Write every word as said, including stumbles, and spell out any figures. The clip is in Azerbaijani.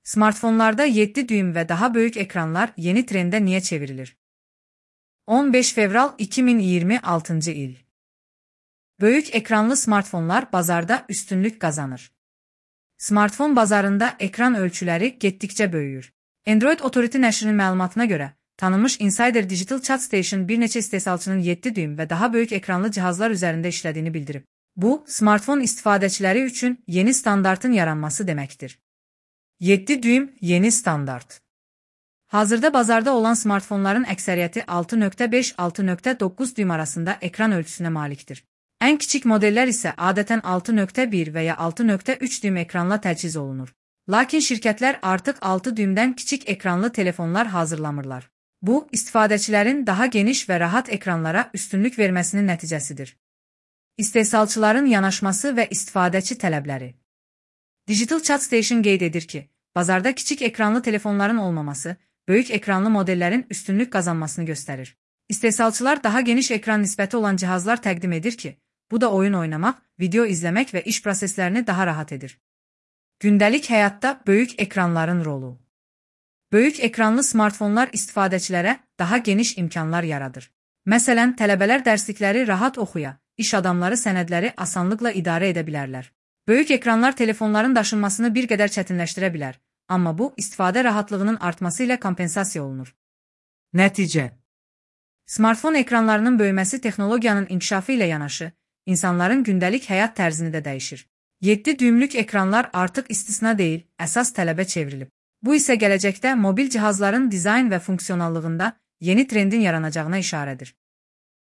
Smartfonlarda yedi düym ve daha büyük ekranlar yeni trende niye çevrilir? on beş fevral iki min iyirmi altıncı il. Büyük ekranlı smartfonlar bazarda üstünlük kazanır. Smartfon bazarında ekran ölçüleri getdikcə böyüyür. Android Authority nəşrinin məlumatına görə, tanınmış Insider Digital Chat Station bir neçə istehsalçının yedi düym ve daha büyük ekranlı cihazlar üzerinde işlediğini bildirib. Bu, smartfon istifadəçiləri üçün yeni standartın yaranması deməkdir. yedi düym yeni standart. Hazırda bazarda olan smartfonların əksəriyyəti altı nöqtə beş altı nöqtə doqquz düym arasında ekran ölçüsüne malikdir. En küçük modeller ise adeten altı nöqtə bir veya altı nöqtə üç düym ekranla təchiz olunur. Lakin şirketler artık altı düymdən kiçik ekranlı telefonlar hazırlamırlar. Bu, istifadəçilərin daha geniş ve rahat ekranlara üstünlük verməsinin nəticəsidir. İstehsalçıların yanaşması ve istifadəçi tələbləri. Digital Chat Station qeyd edir ki, bazarda kiçik ekranlı telefonların olmaması, büyük ekranlı modellerin üstünlük kazanmasını gösterir. İstehsalçılar daha geniş ekran nisbəti olan cihazlar təqdim edir ki, bu da oyun oynamak, video izlemek ve iş proseslerini daha rahat edir. Gündəlik həyatda böyük ekranların rolu. Böyük ekranlı smartfonlar istifadəçilərə daha geniş imkanlar yaradır. Məsələn, tələbələr dərslikləri rahat oxuya, iş adamları sənədləri asanlıqla idarə edə bilərlər. Böyük ekranlar telefonların daşınmasını bir qədər çətinləşdirə bilər, amma bu, istifadə rahatlığının artması ilə kompensasiya olunur. Nəticə. Smartfon ekranlarının böyüməsi texnologiyanın inkişafı ilə yanaşı, insanların gündəlik həyat tərzini də dəyişir. yedi düymlük ekranlar artıq istisna deyil, əsas tələbə çevrilib. Bu isə gələcəkdə mobil cihazların dizayn və funksionallığında yeni trendin yaranacağına işarədir.